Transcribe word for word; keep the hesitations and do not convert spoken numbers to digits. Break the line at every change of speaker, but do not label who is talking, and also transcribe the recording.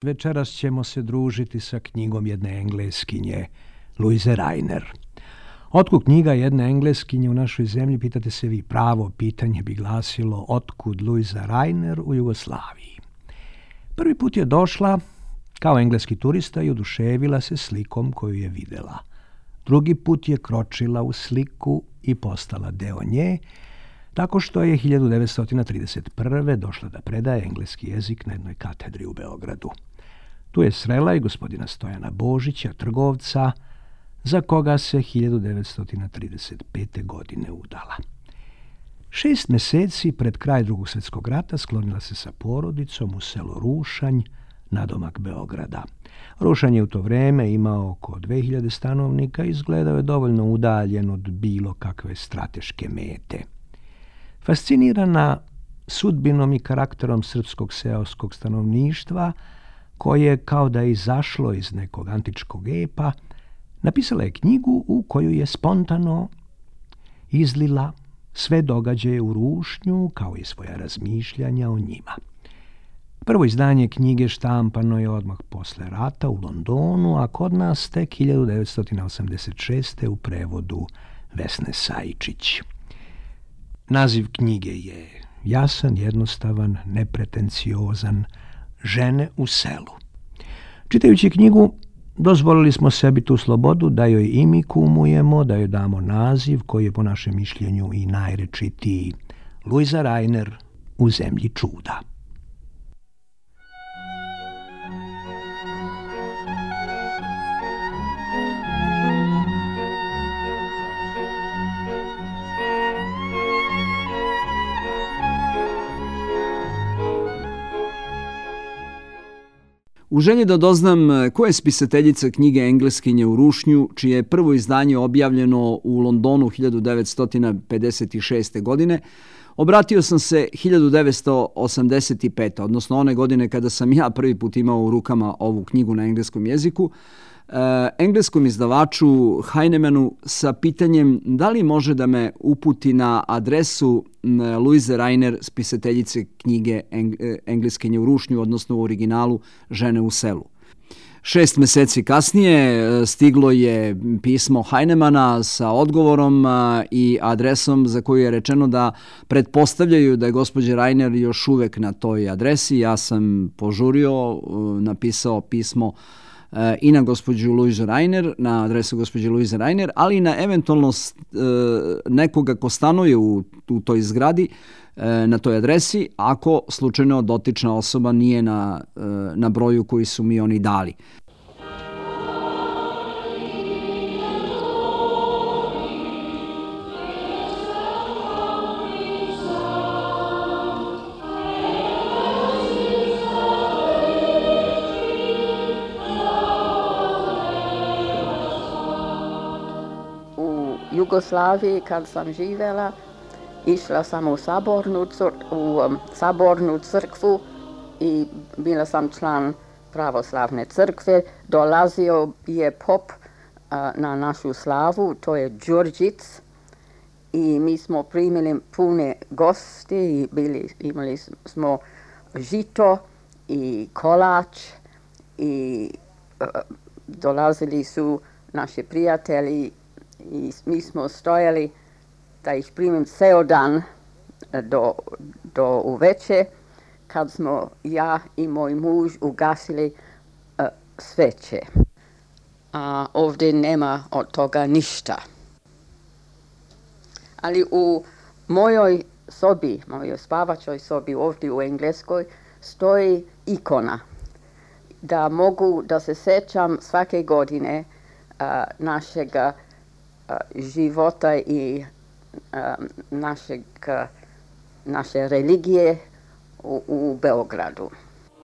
Večeras ćemo se družiti sa knjigom jedne Engleskinje, Louise Rainer. Otkud knjiga jedne Engleskinje u našoj zemlji, pitate se vi. Pravo pitanje bi glasilo otkud Louise Rainer u Jugoslaviji. Prvi put je došla kao engleski turista i oduševila se slikom koju je videla. Drugi put je kročila u sliku i postala deo nje, tako što je hiljadu devetsto trideset prve. došla da predaje engleski jezik na jednoj katedri u Beogradu. Tu je srela i gospodina Stojana Božića, trgovca, za koga se hiljadu devetsto trideset pete. godine udala. Šest meseci pred kraj Drugog svjetskog rata sklonila se sa porodicom u selo Rušanj, nadomak Beograda. Rušanj je u to vreme imao oko dve hiljade stanovnika i izgledao je dovoljno udaljen od bilo kakve strateške mete. Fascinirana sudbinom i karakterom srpskog seoskog stanovništva, koje kao da je izašlo iz nekog antičkog epa, napisala je knjigu u koju je spontano izlila sve događaje u Rušnju, kao i svoja razmišljanja o njima. Prvo izdanje knjige štampano je odmah posle rata u Londonu, a kod nas tek hiljadu devetsto osamdeset šeste. u prevodu Vesne Sajičić. Naziv knjige je jasan, jednostavan, nepretenciozan, Žene u selu. Čitajući knjigu, dozvolili smo sebi tu slobodu da joj i mi kumujemo, da joj damo naziv koji je po našem mišljenju i najrečitiji. Louise Rainer u zemlji čuda.
U želji da doznam ko je spisateljica knjige Engleskinje u Rušnju, čije je prvo izdanje objavljeno u Londonu hiljadu devetsto pedeset šeste. godine, obratio sam se hiljadu devetsto osamdeset pete. odnosno one godine kada sam ja prvi put imao u rukama ovu knjigu na engleskom jeziku, engleskom izdavaču Heinemanu sa pitanjem da li može da me uputi na adresu Louise Rainer, spisateljice knjige Engleskinje u Rušnju, odnosno u originalu Žene u selu. Šest meseci kasnije stiglo je pismo Heinemana sa odgovorom i adresom za koju je rečeno da pretpostavljaju da je gospođa Rainer još uvek na toj adresi. Ja sam požurio, napisao pismo i na gospođu Louise Rainer, na adresu gospođe Louise Rainer, ali i na eventualno nekoga ko stanuje u, u toj zgradi, na toj adresi, ako slučajno dotična osoba nije na, na broju koji su mi oni dali.
Jugoslaviji kad sam živjela, išla sam u sabornu, cr- u um, sabornu crkvu i bila sam član pravoslavne crkve. Dolazio je pop uh, na našu slavu, to je Đurđic, i mi smo primili pune gosti i bili, imali smo žito i kolač i uh, dolazili su naši prijatelji i mi smo stojali da ih primim ceo dan do, do uveče, kad smo ja i moj muž ugasili uh, sveće. A ovdje nema od toga ništa. Ali u mojoj sobi, mojoj spavačoj sobi ovdje u Engleskoj, stoji ikona da mogu da se sećam svake godine uh, našega života i našeg, naše religije u, u Beogradu.